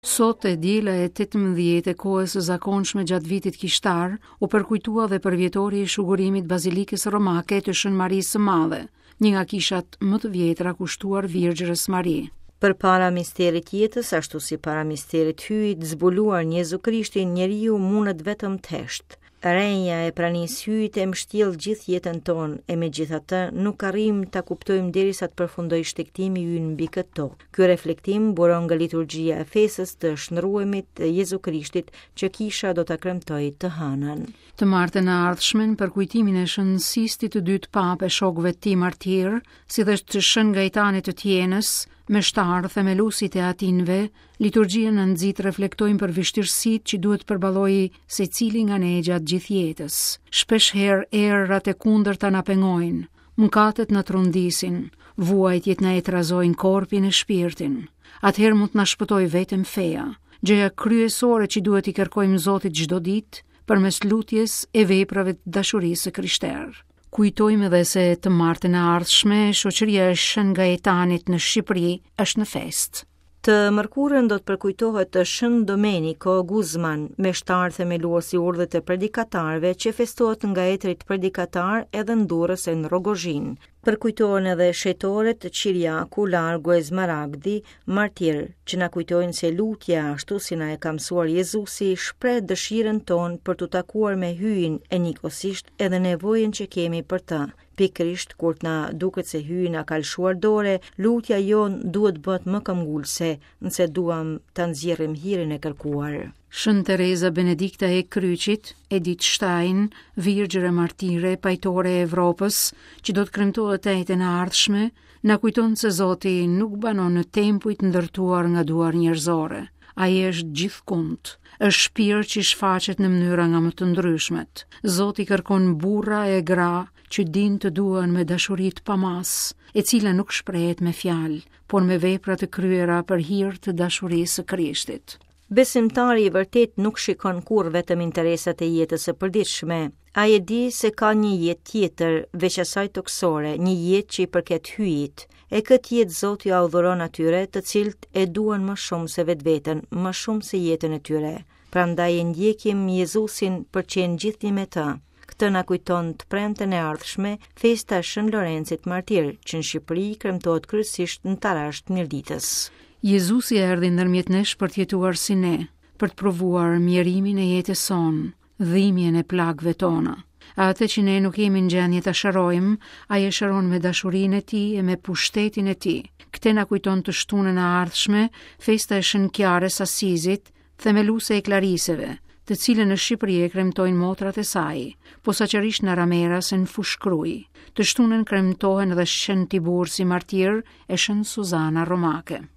Sot e diela e 18 e kohës së zakonshme gjatë vitit kishtar, u përkujtua dhe përvjetori i shugurimit Bazilikës Romake të Shën Marisë së Madhe, një nga kishat më të vjetra kushtuar Virgjërës Mari. Përpara misterit jetës, ashtu si para misterit Hyjit, zbuluar në Jezu Krishtin, njeriu mundet vetëm të heshtë. Renja e pranisë Hyjit e mbështjell gjithë jetën tonë, e megjithatë nuk arrijmë ta kuptojmë derisa të përfundojë shtegtimi ynë mbi këtë tokë. Ky reflektim buron nga liturgjia e festës të shndërruemit të Jezu Krishtit që kisha do ta kremtojë të hënën. Të martën e ardhshme, në përkujtimin e Shën Sistit të dytë Papë e shokëve të tij martirë, si dhe të Shën Gaetanit të Tienës, meshtar themeluesit e Teatinëve, Liturgjia na nxit të reflektojmë për vështirësitë që duhet të përballojë secili nga ne gjatë gjithë jetës. Shpesh herë erërat e kundërta na pengojnë, mëkatet na trondisin, vuajtjet na e trazojnë korpin e shpirtin. Atëherë mund të na shpëtojë vetëm feja. Gjëja kryesore që duhet t'i kërkojmë Zotit çdo ditë, përmes lutjes e veprave të dashurisë së krishterë. Kujtojmë edhe se të martën e ardhshme, shoqëria e Shën Gaetanit në Shqipëri është në festë. Të mërkurën do të përkujtohet Shën Domenico Guzman, meshtar themelues i urdhrit të predikatarëve që festohet nga etërit predikatarë edhe në Durrës e në Rrogozhinë. Përkujtohen edhe shenjtorët Qiriaku, Largu e Zmaragdi, martirë, që na kujtojnë se lutja, ashtu si na e ka mësuar Jezusi, shpreh dëshirën tonë për t'u takuar me Hyjin e njëkohësisht edhe nevojën që kemi për të. Pikërisht kur të na duket se Hyji na ka lëshuar dore, lutja jonë duhet të bëhet më këmbgulëse, nëse duam ta nxjerrim hirin e kërkuar. Shën Tereza Benedikta e Kryqit, Edith Stein, virgjër e martire, pajtore e Evropës, që do të kremtohet të enjten e ardhshme, na kujton se Zoti nuk banon në tempuj të ndërtuar nga duar njerëzore. Ai është gjithkund, është shpirt që shfaqet në mënyra nga më të ndryshmet. Zoti kërkon burra e gra që dinë të duan me dashuri të pamasë, e cila nuk shprehet me fjalë, por me vepra të kryera për hir të dashurisë së Krishtit. Besimtari i vërtetë nuk shikon kurrë vetëm interesat e jetës së përditshme. Ai e di se ka një jetë tjetër, veç asaj tokësore, një jetë që i përket Hyjit. E këtë jetë Zoti ua dhuron atyre, të cilët e duan më shumë se vetveten, më shumë se jetën e tyre. Prandaj e ndjekim Jezusin për të qenë gjithnjë me të. Këtë na kujton të premten e ardhshme festa e Shën Lorencit Martir, që në Shqipëri kremtohet kryesisht në Tarash të Mirditës. Jezusi erdhi ndërmjet nesh për të jetuar si ne, për të provuar mjerimin e jetës sonë, dhimbjen e plagëve tona. Atë që ne nuk jemi në gjendje ta shërojmë, ai e shëron me dashurinë e tij e me pushtetin e tij. Këtë na kujton të shtunën e ardhshme, festa e Shën Kiarës Asizit, themeluese e Klariseve, të cilën në Shqipëri e kremtojnë motrat e saj, posaçërisht në Rameras e në Fushë-Krujë. Të shtunën kremtohen edhe Shën Tibursi martir e Shën Suzana Romake.